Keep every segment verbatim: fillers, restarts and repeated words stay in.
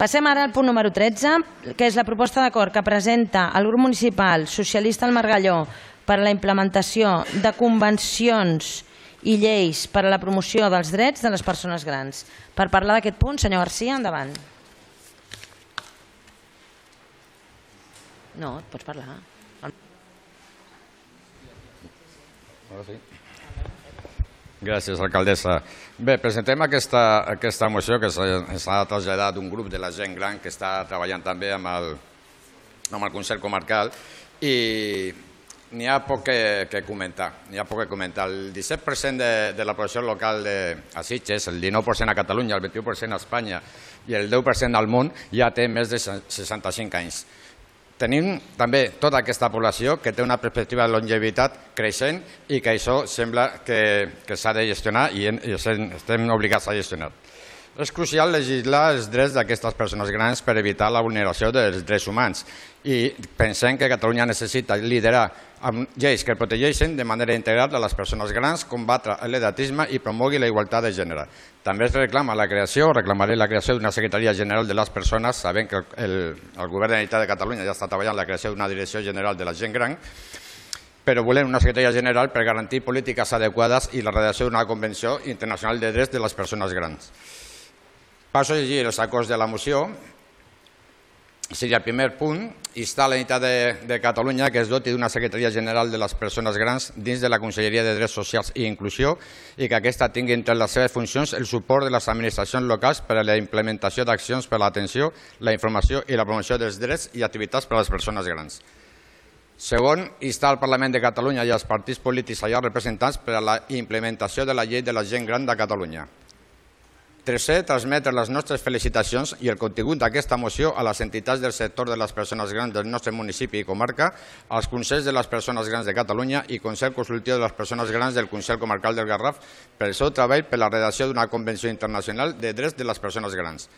Passem ara al punt número tretze, que és la proposta d'acord que presenta el grup municipal socialista al Margalló per a la implementació de convencions i lleis per a la promoció dels drets de les persones grans. Per parlar d'aquest punt, senyor Garcia, endavant. No, pots parlar. Gràcies, alcaldessa. Bé, presentem aquesta, aquesta moció que s'ha traslladat d'un grup de la gent gran que està treballant també amb el, amb el Consell Comarcal i n'hi ha poc que, que comentar. N'hi ha poc que comentar. El disset per cent de, de la població local de, a Sitges, el dinou per cent a Catalunya, el vint-i-u per cent a Espanya i el deu per cent al món ja té més de seixanta-cinc anys. Tenim també tota aquesta població que té una perspectiva de longevitat creixent i que això sembla que, que s'ha de gestionar i, en, i estem obligats a gestionar. És crucial legislar els drets d'aquestes persones grans per evitar la vulneració dels drets humans i pensem que Catalunya necessita liderar amb lleis que protegeixen de manera integral a les persones grans, combatre l'edatisme i promogui la igualtat de gènere. També es reclama la creació, reclamaré la creació d'una Secretaria General de les Persones, sabent que el, el Govern de la Generalitat de Catalunya ja està treballant la creació d'una Direcció General de la Gent Gran, però volem una Secretaria General per garantir polítiques adequades i la redacció d'una Convenció Internacional de Drets de les Persones Grans. Passo a llegir els acords de la moció. Seria el primer punt, instar la Generalitat de, de Catalunya que es doti d'una Secretaria General de les Persones Grans dins de la Conselleria de Drets Socials i Inclusió i que aquesta tingui entre les seves funcions el suport de les administracions locals per a la implementació d'accions per a l'atenció, la informació i la promoció dels drets i activitats per a les persones grans. Segon, instar al Parlament de Catalunya i als partits polítics allà representants per a la implementació de la Llei de la Gent Gran de Catalunya. Tercer, transmetre les nostres felicitacions i el contingut d'aquesta moció a les entitats del sector de les persones grans del nostre municipi i comarca, als Consells de les Persones Grans de Catalunya i Consell Consultiu de les Persones Grans del Consell Comarcal del Garraf per el seu treball per la redacció d'una Convenció Internacional de Drets de les Persones Grans.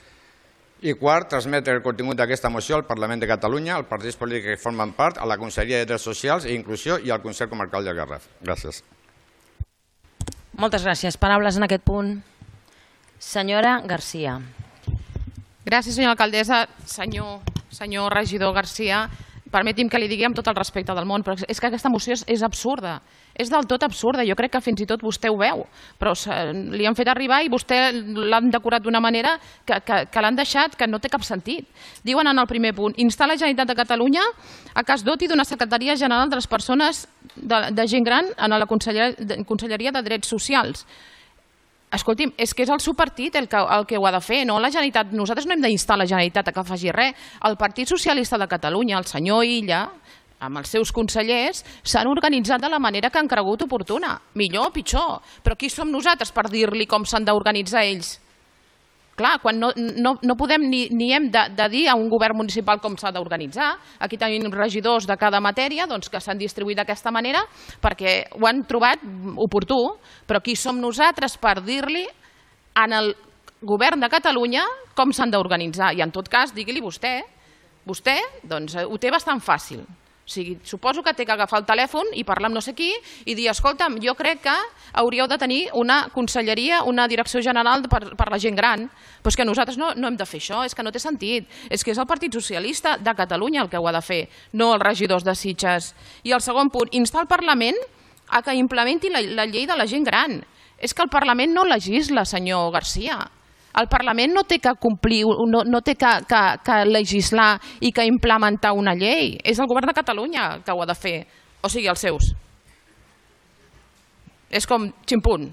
I quart, transmetre el contingut d'aquesta moció al Parlament de Catalunya, als partits polítics que formen part, a la Conselleria de Drets Socials i Inclusió i al Consell Comarcal del Garraf. Gràcies. Moltes gràcies. Paraules en aquest punt. Senyora Garcia. Gràcies, senyora alcaldessa. Senyor, senyor regidor Garcia, permeti'm que li digui amb tot el respecte del món, però és que aquesta moció és, és absurda. És del tot absurda. Jo crec que fins i tot vostè ho veu, però li han fet arribar i vostè l'han decorat d'una manera que, que, que l'han deixat que no té cap sentit. Diuen en el primer punt, instar la Generalitat de Catalunya a que es doti d'una Secretaria General de les Persones de, de Gent Gran en la Conselleria, Conselleria de Drets Socials. Escolti'm, és que és el seu partit el que, el que ho ha de fer, no la Generalitat. Nosaltres no hem d'instar la Generalitat a que faci res. El Partit Socialista de Catalunya, el senyor Illa, amb els seus consellers, s'han organitzat de la manera que han cregut oportuna. Millor o pitjor. Però qui som nosaltres per dir-li com s'han d'organitzar ells? Clar, quan no, no, no podem ni, ni hem de, de dir a un govern municipal com s'ha d'organitzar. Aquí tenim regidors de cada matèria doncs, que s'han distribuït d'aquesta manera perquè ho han trobat oportú, però qui som nosaltres per dir-li en el govern de Catalunya com s'han d'organitzar? I en tot cas, digui-li vostè, vostè doncs, ho té bastant fàcil. O sigui, suposo que té que agafar el telèfon i parlar amb no sé qui i dir, escolta'm, jo crec que hauríeu de tenir una conselleria, una direcció general per, per la gent gran. Però és que nosaltres no, no hem de fer això, és que no té sentit. És que és el Partit Socialista de Catalunya el que ho ha de fer, no els regidors de Sitges. I el segon punt, instar el Parlament a que implementi la, la llei de la gent gran. És que el Parlament no legisla, senyor Garcia. El Parlament no té que complir, no, no té que, que, que legislar i que implementar una llei. És el govern de Catalunya que ho ha de fer. O sigui, els seus. És com ximpun.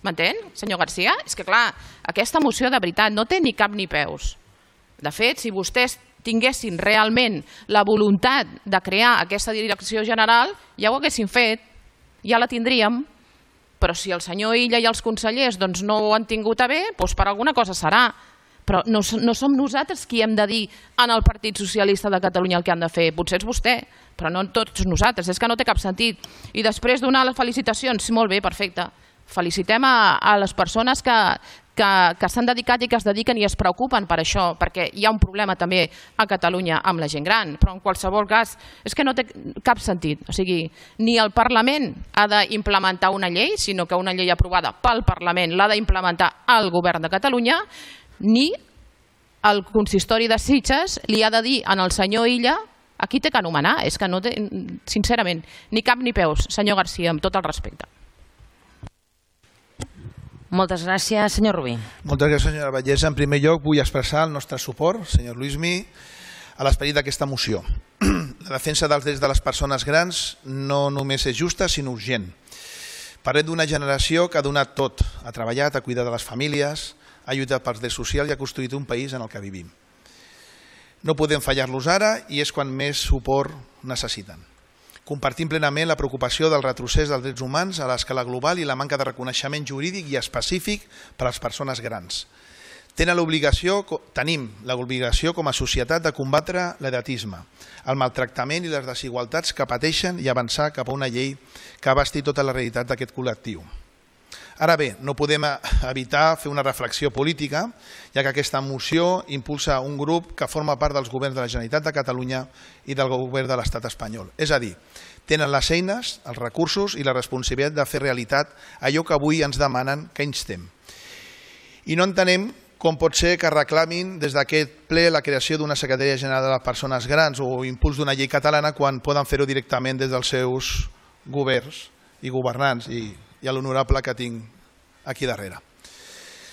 M'entén, senyor Garcia? És que, clar, aquesta moció de veritat no té ni cap ni peus. De fet, si vostès tinguessin realment la voluntat de crear aquesta direcció general, ja ho haguessin fet, ja la tindríem. Però si el senyor Illa i els consellers doncs, no ho han tingut a bé, doncs per alguna cosa serà. Però no, no som nosaltres qui hem de dir en el Partit Socialista de Catalunya el que han de fer. Potser és vostè, però no tots nosaltres. És que no té cap sentit. I després donar les felicitacions, molt bé, perfecte. Felicitem a, a les persones que, que, que s'han dedicat i que es dediquen i es preocupen per això, perquè hi ha un problema també a Catalunya amb la gent gran, però en qualsevol cas és que no té cap sentit. O sigui, ni el Parlament ha d'implementar una llei, sinó que una llei aprovada pel Parlament l'ha d'implementar el Govern de Catalunya, ni el consistori de Sitges li ha de dir al senyor Illa a qui té que anomenar. És que no té, sincerament, ni cap ni peus, senyor García, amb tot el respecte. Moltes gràcies, senyor Rubí. Moltes gràcies, senyora Vallès. En primer lloc, vull expressar el nostre suport, senyor Luismi, a l'esperit d'aquesta moció. La defensa dels drets de les persones grans no només és justa, sinó urgent. Parlem d'una generació que ha donat tot, ha treballat, ha cuidat de les famílies, ha lluitat pels drets socials i ha construït un país en el que vivim. No podem fallar-los ara i és quan més suport necessiten. Compartim plenament la preocupació del retrocés dels drets humans a l'escala global i la manca de reconeixement jurídic i específic per a les persones grans. Tenen l'obligació, tenim l'obligació com a societat de combatre l'edatisme, el maltractament i les desigualtats que pateixen i avançar cap a una llei que abasti tota la realitat d'aquest col·lectiu. Ara bé, no podem evitar fer una reflexió política, ja que aquesta moció impulsa un grup que forma part dels governs de la Generalitat de Catalunya i del govern de l'Estat espanyol. És a dir, tenen les eines, els recursos i la responsabilitat de fer realitat allò que avui ens demanen que instem. I no entenem com pot ser que reclamin des d'aquest ple la creació d'una Secretaria General de les Persones Grans o impuls d'una llei catalana quan poden fer-ho directament des dels seus governs i governants i, i a l'honorable que tinc aquí darrere.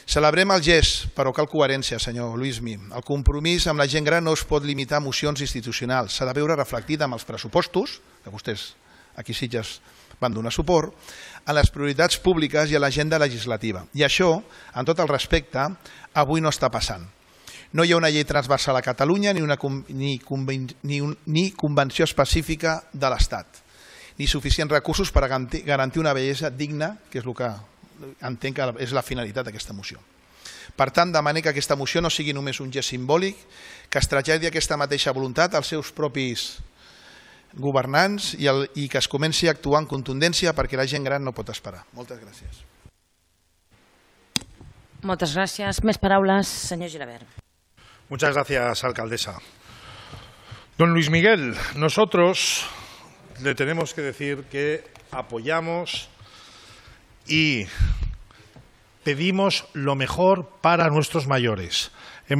Celebrem el gest, però cal coherència, senyor Luismi. El compromís amb la gent gran no es pot limitar a mocions institucionals. S'ha de veure reflectit amb els pressupostos, que vostès aquí a Sitges van donar suport, a les prioritats públiques i a l'agenda legislativa. I això, amb tot el respecte, avui no està passant. No hi ha una llei transversal a Catalunya ni una ni, ni, un, ni convenció específica de l'Estat, ni suficients recursos per garantir una bellesa digna, que és el que entenc que és la finalitat d'aquesta moció. Per tant, demane que aquesta moció no sigui només un gest simbòlic, que es traslladi aquesta mateixa voluntat als seus propis governants i, el, i que es comenci a actuar en contundència perquè la gent gran no pot esperar. Moltes gràcies. Moltes gràcies. Més paraules, senyor Gilabert. Muchas gracias, alcaldesa. Don Luis Miguel, nosotros le tenemos que decir que apoyamos y pedimos lo mejor para nuestros mayores.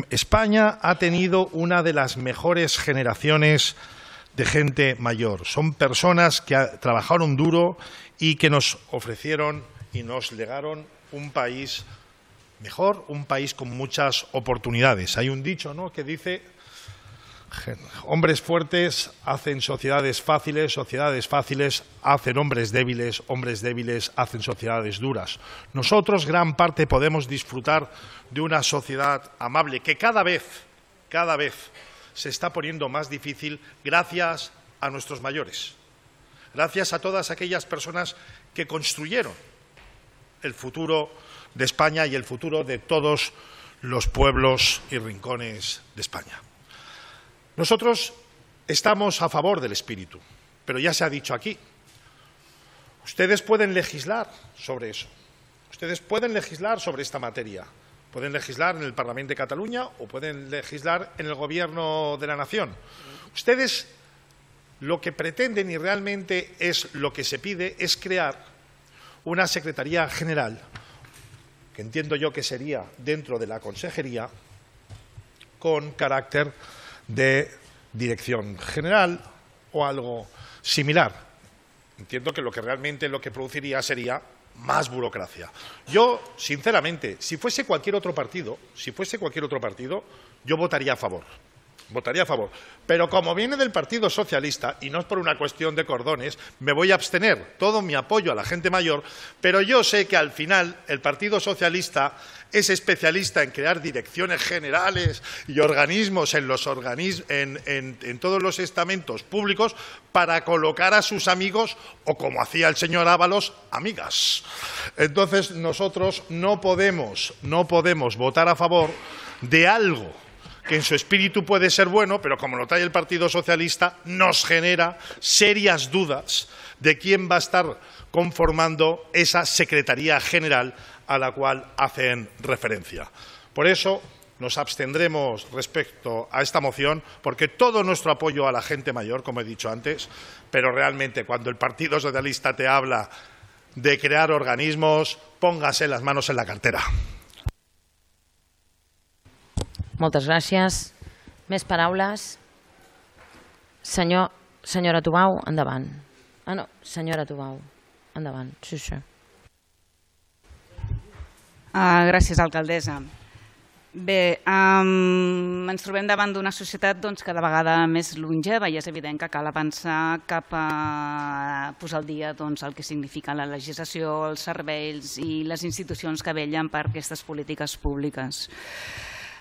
España ha tenido una de las mejores generaciones de gente mayor. Son personas que trabajaron duro y que nos ofrecieron y nos legaron un país mejor, un país con muchas oportunidades. Hay un dicho, ¿no?, que dice: hombres fuertes hacen sociedades fáciles, sociedades fáciles hacen hombres débiles, hombres débiles hacen sociedades duras. Nosotros, gran parte, podemos disfrutar de una sociedad amable que cada vez, cada vez se está poniendo más difícil gracias a nuestros mayores, gracias a todas aquellas personas que construyeron el futuro de España y el futuro de todos los pueblos y rincones de España. Nosotros estamos a favor del espíritu, pero ya se ha dicho aquí, ustedes pueden legislar sobre eso, ustedes pueden legislar sobre esta materia, pueden legislar en el Parlamento de Cataluña o pueden legislar en el Gobierno de la Nación. Ustedes lo que pretenden, y realmente es lo que se pide, es crear una Secretaría General, que entiendo yo que sería dentro de la Consejería, con carácter de dirección general o algo similar. Entiendo que lo que realmente lo que produciría sería más burocracia. Yo, sinceramente, si fuese cualquier otro partido, si fuese cualquier otro partido, yo votaría a favor. Votaría a favor. Pero como viene del Partido Socialista, y no es por una cuestión de cordones, me voy a abstener. Todo mi apoyo a la gente mayor, pero yo sé que al final el Partido Socialista es especialista en crear direcciones generales y organismos en, los organismos, en, en, en todos los estamentos públicos para colocar a sus amigos, o como hacía el señor Ábalos, amigas. Entonces nosotros no podemos, no podemos votar a favor de algo que en su espíritu puede ser bueno, pero como lo trae el Partido Socialista, nos genera serias dudas de quién va a estar conformando esa Secretaría General a la cual hacen referencia. Por eso nos abstendremos respecto a esta moción, porque todo nuestro apoyo a la gente mayor, como he dicho antes, pero realmente cuando el Partido Socialista te habla de crear organismos, póngase las manos en la cartera. Moltes gràcies. Més paraules? Senyor, senyora Tubau, endavant. Ah, no, senyora Tubau, endavant. Sí, sí. Uh, gràcies, alcaldessa. Bé, um, ens trobem davant d'una societat doncs, cada vegada més longeva i és evident que cal avançar cap a posar al dia doncs, el que significa la legislació, els serveis i les institucions que vetllen per aquestes polítiques públiques.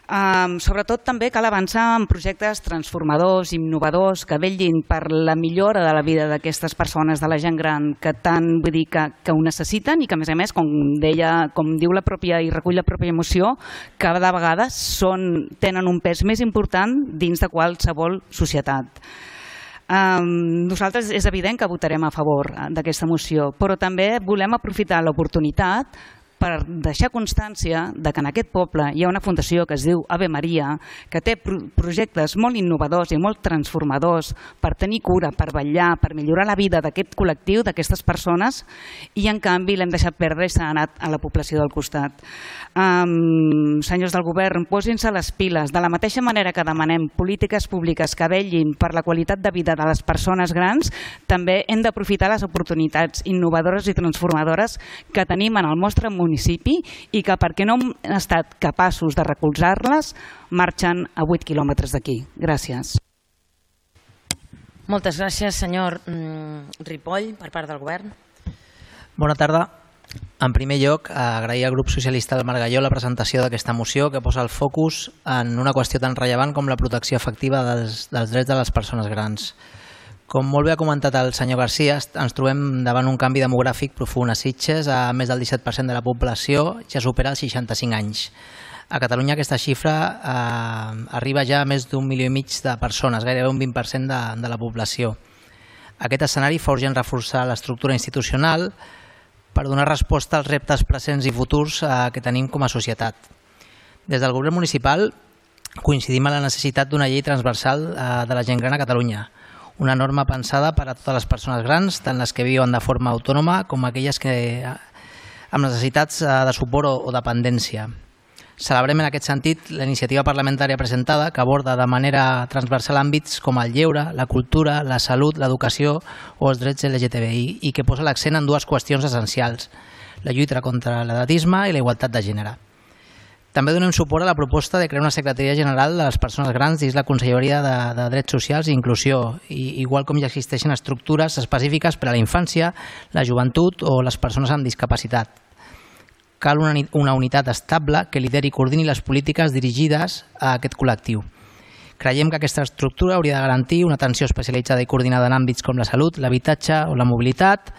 Um, sobretot també cal avançar en projectes transformadors, innovadors, que vetllin per la millora de la vida d'aquestes persones, de la gent gran, que tant vull dir que, que ho necessiten i que a més a més, com deia, com diu la pròpia i recull la pròpia moció, cada vegada són, tenen un pes més important dins de qualsevol societat. Um, nosaltres és evident que votarem a favor d'aquesta moció, però també volem aprofitar l'oportunitat per deixar constància de que en aquest poble hi ha una fundació que es diu Ave Maria, que té projectes molt innovadors i molt transformadors per tenir cura, per vetllar, per millorar la vida d'aquest col·lectiu, d'aquestes persones, i en canvi l'hem deixat perdre i s'ha anat a la població del costat. Um, senyors del govern, posin-se les piles. De la mateixa manera que demanem polítiques públiques que vetllin per la qualitat de vida de les persones grans, també hem d'aprofitar les oportunitats innovadores i transformadores que tenim en el nostre municipi i que, perquè no hem estat capaços de recolzar-les, marxen a vuit quilòmetres d'aquí. Gràcies. Moltes gràcies, senyor Ripoll, per part del govern. Bona tarda. En primer lloc, agrair al grup socialista del Margalló la presentació d'aquesta moció que posa el focus en una qüestió tan rellevant com la protecció efectiva dels, dels drets de les persones grans. Com molt bé ha comentat el senyor Garcia, ens trobem davant un canvi demogràfic profund a Sitges. A més del disset per cent de la població ja supera els seixanta-cinc anys. A Catalunya aquesta xifra eh, arriba ja a més d'un milió i mig de persones, gairebé un vint per cent de, de la població. Aquest escenari fa urgent reforçar l'estructura institucional per donar resposta als reptes presents i futurs eh, que tenim com a societat. Des del govern municipal coincidim en la necessitat d'una llei transversal eh, de la gent gran a Catalunya, una norma pensada per a totes les persones grans, tant les que viuen de forma autònoma com aquelles que amb necessitats de suport o dependència. Celebrem en aquest sentit la iniciativa parlamentària presentada que aborda de manera transversal àmbits com el lleure, la cultura, la salut, l'educació o els drets L G T B I i que posa l'accent en dues qüestions essencials, la lluita contra l'edatisme i la igualtat de gènere. També donem suport a la proposta de crear una Secretaria General de les Persones Grans dins la Conselleria de, de Drets Socials i Inclusió, i, igual com ja existeixen estructures específiques per a la infància, la joventut o les persones amb discapacitat. Cal una, una unitat estable que lideri i coordini les polítiques dirigides a aquest col·lectiu. Creiem que aquesta estructura hauria de garantir una atenció especialitzada i coordinada en àmbits com la salut, l'habitatge o la mobilitat,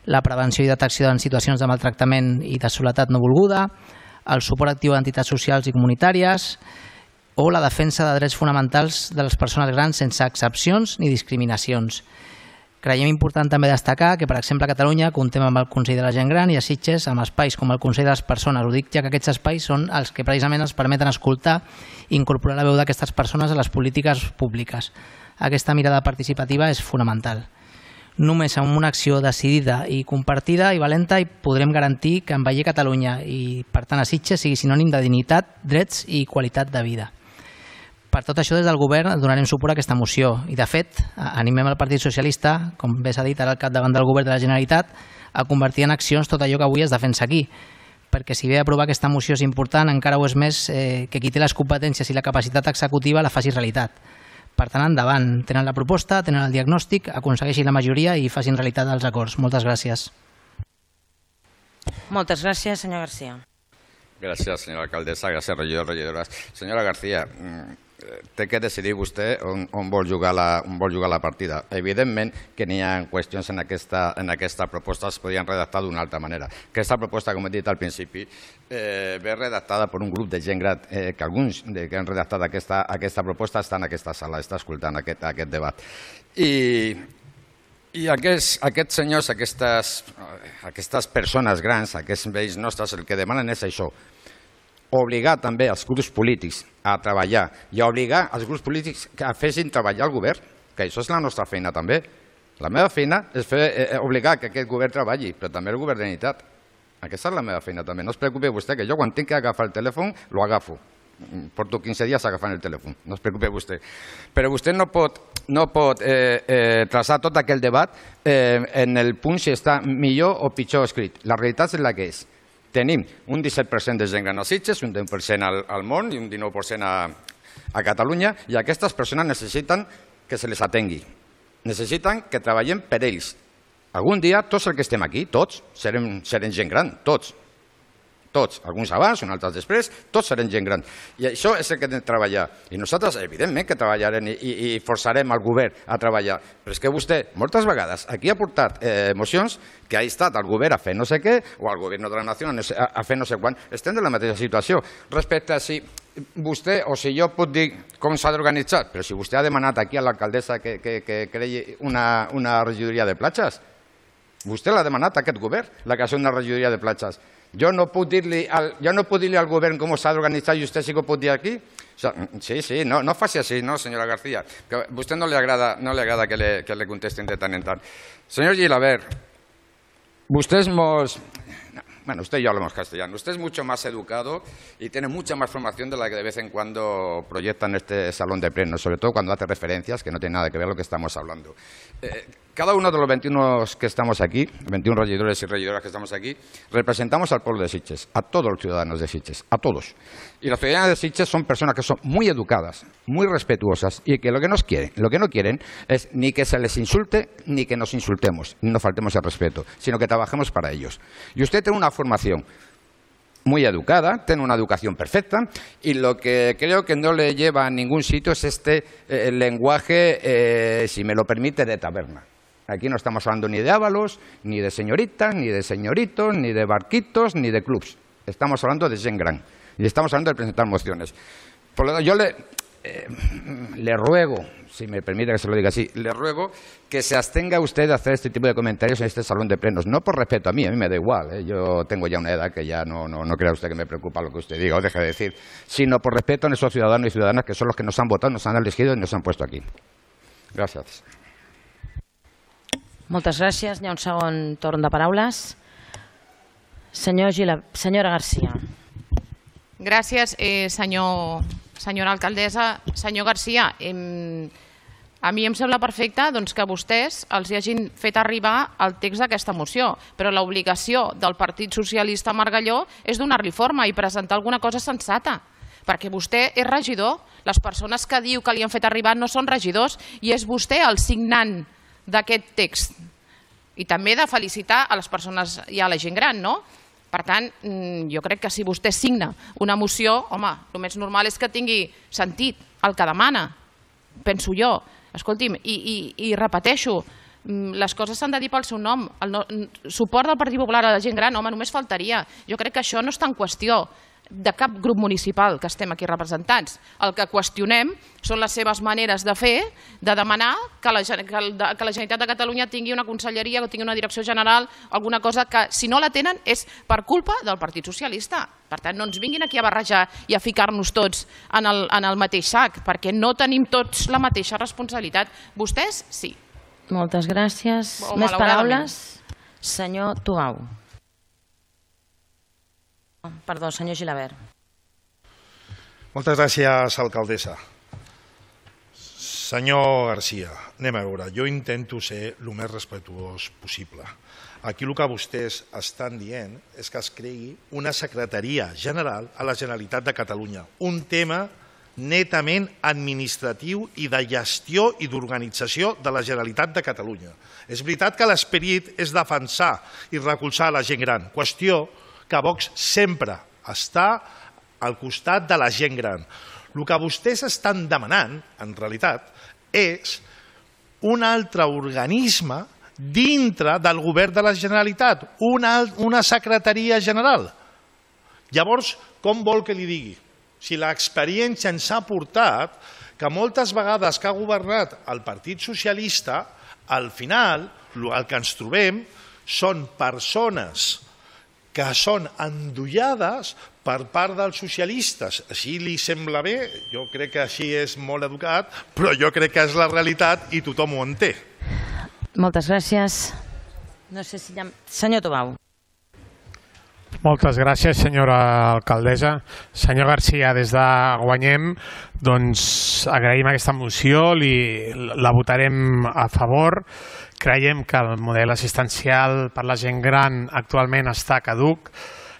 la prevenció i detecció en situacions de maltractament i de soledat no volguda, el suport actiu a entitats socials i comunitàries o la defensa de drets fonamentals de les persones grans sense excepcions ni discriminacions. Creiem important també destacar que, per exemple, a Catalunya comptem amb el Consell de la Gent Gran i a Sitges amb espais com el Consell de les Persones. Ho dic ja que aquests espais són els que precisament ens permeten escoltar i incorporar la veu d'aquestes persones a les polítiques públiques. Aquesta mirada participativa és fonamental. Només amb una acció decidida i compartida i valenta i podrem garantir que envellir Catalunya i, per tant, a Sitges sigui sinònim de dignitat, drets i qualitat de vida. Per tot això, des del govern donarem suport a aquesta moció i, de fet, animem el Partit Socialista, com bé s'ha dit ara al capdavant del govern de la Generalitat, a convertir en accions tot allò que avui es defensa aquí, perquè si bé aprovar aquesta moció és important, encara ho és més eh, que qui té les competències i la capacitat executiva la faci realitat. Per tant, endavant, tenen la proposta, tenen el diagnòstic, aconsegueixin la majoria i facin realitat els acords. Moltes gràcies. Moltes gràcies, senyor García. Gràcies, senyora alcaldessa, gràcies, regidors, regidores. Senyora García, té que decidir vostè on, on, vol jugar la, on vol jugar la partida. Evidentment que n'hi ha qüestions en aquesta, en aquesta proposta que es podien redactar d'una altra manera. Aquesta proposta, com he dit al principi, eh, ve redactada per un grup de gent gran, eh, que alguns de, que han redactat aquesta, aquesta proposta estan en aquesta sala, està escoltant aquest, aquest debat. I, i aquests, aquests senyors, aquestes, aquestes persones grans, aquests vells nostres, el que demanen és això, obligar també els grups polítics a treballar i obligar els grups polítics a fessin treballar el govern, que això és la nostra feina també. La meva feina és fer, eh, obligar que aquest govern treballi, però també el govern de la Generalitat. Aquesta és la meva feina també. No es preocupi vostè, que jo quan tinc que agafar el telèfon, lo agafo. Porto quinze dies agafant el telèfon, no es preocupi vostè. Però vostè no pot, no pot eh, eh, traçar tot aquell debat eh, en el punt si està millor o pitjor escrit. La realitat és la que és. Tenim un disset per cent de gent gran a Sitges, un deu per cent al, al món i un dinou per cent a, a Catalunya, i aquestes persones necessiten que se les atengui. Necessiten que treballem per ells. Algun dia, tots els que estem aquí, tots, serem, serem gent gran, tots. Tots, alguns abans, uns altres després, tots serem gent gran. I això és el que hem de treballar. I nosaltres, evidentment, que treballarem i, i, i forçarem el govern a treballar. Però és que vostè, moltes vegades, aquí ha portat eh, mocions que ha estat el govern a fer no sé què, o el govern de la nació a, a fer no sé quan. Estem en la mateixa situació. Respecte a si vostè o si jo puc dir com s'ha d'organitzar, però si vostè ha demanat aquí a l'alcaldessa que, que, que creï una, una regidoria de platges, vostè l'ha demanat a aquest govern, la creació d'una regidoria de platges. Jo no puc dir-li al, jo no puc dir-li al govern com s'ha d'organitzar i vostè sí que ho pot dir aquí? O sea, sí, sí, no, no faci així, no, senyora García. Que a vostè no li agrada, no li agrada que, le, que le contesten de tant en tant. Senyor Gilabert, vostè és molt... Bueno, usted y yo hablamos castellano. Usted es mucho más educado y tiene mucha más formación de la que de vez en cuando proyecta en este salón de plenos, sobre todo cuando hace referencias que no tienen nada que ver con lo que estamos hablando. Eh, cada uno de los veintiuno que estamos aquí, veintiuno regidores y regidoras que estamos aquí, representamos al pueblo de Sitges, a todos los ciudadanos de Sitges, a todos. Y los ciudadanos de Sitges son personas que son muy educadas, muy respetuosas y que lo que, nos quieren, lo que no quieren es ni que se les insulte ni que nos insultemos, ni nos faltemos el respeto, sino que trabajemos para ellos. Y usted tiene una formación muy educada, tiene una educación perfecta y lo que creo que no le lleva a ningún sitio es este eh, lenguaje, eh, si me lo permite, de taberna. Aquí no estamos hablando ni de ávalos, ni de señoritas, ni de señoritos, ni de barquitos, ni de clubs. Estamos hablando de gent gran y estamos hablando de presentar mociones. Por lo tanto, yo le, eh, le ruego, si me permite que se lo diga así, le ruego que se abstenga usted de hacer este tipo de comentarios en este salón de plenos. No por respeto a mí, a mí me da igual, ¿eh? Yo tengo ya una edad que ya no, no, no crea usted que me preocupa lo que usted diga o deje de decir, sino por respeto a esos ciudadanos y ciudadanas que son los que nos han votado, nos han elegido y nos han puesto aquí. Gràcies. Moltes gràcies. Hi ha un segon torn de paraules. Senyor Gila, senyora Garcia. Gràcies, eh, senyor, senyora alcaldessa. Senyor Garcia, eh, a mi em sembla perfecte doncs, que vostès els hi hagin fet arribar el text d'aquesta moció, però l'obligació del Partit Socialista a Margalló és donar-li forma i presentar alguna cosa sensata, perquè vostè és regidor, les persones que diu que li han fet arribar no són regidors i és vostè el signant d'aquest text. I també de felicitar a les persones i a la gent gran, no? Per tant, jo crec que si vostè signa una moció, home, el més normal és que tingui sentit el que demana, penso jo. Escolti'm, i, i, i repeteixo, les coses s'han de dir pel seu nom. El no, suport del Partit Popular a la gent gran, home, només faltaria. Jo crec que això no està en qüestió de cap grup municipal que estem aquí representats. El que qüestionem són les seves maneres de fer, de demanar que la, que la Generalitat de Catalunya tingui una conselleria o tingui una direcció general, alguna cosa que, si no la tenen, és per culpa del Partit Socialista. Per tant, no ens vinguin aquí a barrejar i a ficar-nos tots en el, en el mateix sac, perquè no tenim tots la mateixa responsabilitat. Vostès, sí. Moltes gràcies. Més paraules? Senyor Tubau. Perdó, senyor Gilabert. Moltes gràcies, alcaldessa. Senyor Garcia, anem a veure, jo intento ser el més respetuós possible. Aquí el que vostès estan dient és que es creï una secretaria general a la Generalitat de Catalunya, un tema netament administratiu i de gestió i d'organització de la Generalitat de Catalunya. És veritat que l'esperit és defensar i recolzar la gent gran, qüestió que Vox sempre està al costat de la gent gran. El que vostès estan demanant, en realitat, és un altre organisme dintre del govern de la Generalitat, una, una secretaria general. Llavors, com vol que li digui? Si l'experiència ens ha portat que moltes vegades que ha governat el Partit Socialista, al final el que ens trobem són persones que són endollades per part dels socialistes. Així li sembla bé, jo crec que així és molt educat, però jo crec que és la realitat i tothom ho entén. Moltes gràcies. No sé si hi ha... Senyor Tubau. Moltes gràcies, senyora alcaldessa. Senyor Garcia, des de Guanyem, doncs agraïm aquesta moció, li, la votarem a favor. Creiem que el model assistencial per la gent gran actualment està caduc.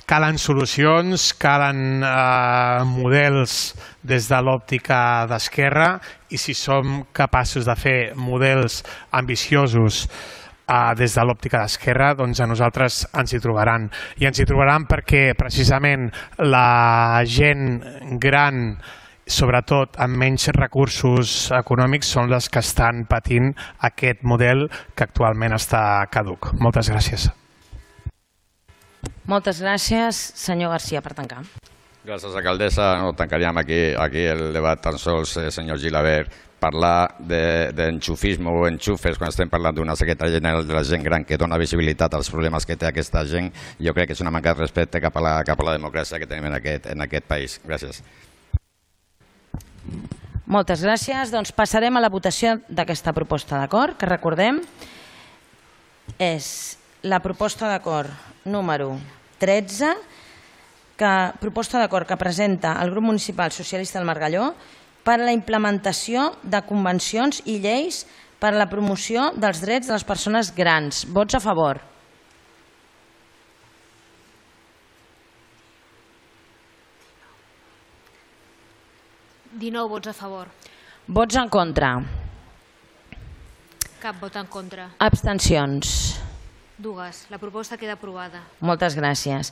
Calen solucions, calen eh, models des de l'òptica d'esquerra i si som capaços de fer models ambiciosos Uh, des de l'òptica d'esquerra, doncs a nosaltres ens hi trobaran. I ens hi trobaran perquè precisament la gent gran, sobretot amb menys recursos econòmics, són les que estan patint aquest model que actualment està caduc. Moltes gràcies. Moltes gràcies, senyor Garcia, per tancar. Gràcies, alcaldessa. No tancaríem aquí, aquí el debat tan sols, eh, senyor Gilabert. Parlar d'enxufisme o enxufes quan estem parlant d'una secretaria general de la gent gran que dona visibilitat als problemes que té aquesta gent, jo crec que és una manca de respecte cap a la, cap a la democràcia que tenim en aquest, en aquest país. Gràcies. Moltes gràcies. Doncs passarem a la votació d'aquesta proposta d'acord, que recordem és la proposta d'acord número tretze, que, proposta d'acord que presenta el grup municipal socialista del Margalló per a la implementació de convencions i lleis per a la promoció dels drets de les persones grans. Vots a favor. dinou vots a favor. Vots en contra. Cap vot en contra. Abstencions. Dues. La proposta queda aprovada. Moltes gràcies.